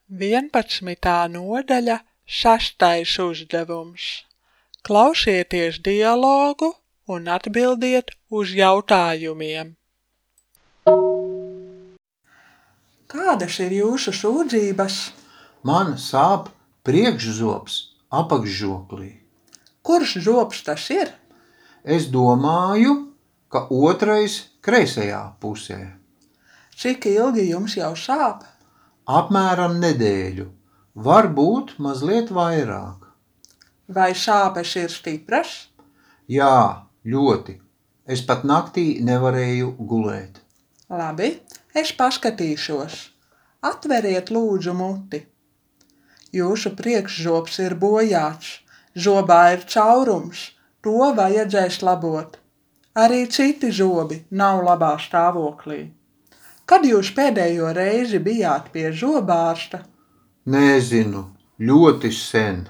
11. nodaļa, 6. uzdevums. Klausieties dialogu un atbildiet uz jautājumiem. Kādas ir jūsu sūdzības? Man sāp priekšzobs apakšžoklī. Kurš zobs tas ir? Es domāju, ka otrais kreisajā pusē. Cik ilgi jums jau sāp? Apmēram nedēļu, varbūt mazliet vairāk. Vai sāpes ir stipras? Jā, ļoti. Es pat naktī nevarēju gulēt. Labi, es paskatīšos. Atveriet lūdzu muti. Jūsu priekšzobs ir bojāts, zobā ir caurums, to vajadzēs labot. Arī citi zobi nav labā stāvoklī. Kad jūs pēdējo reizi bijāt pie zobārsta? Nezinu, ļoti sen.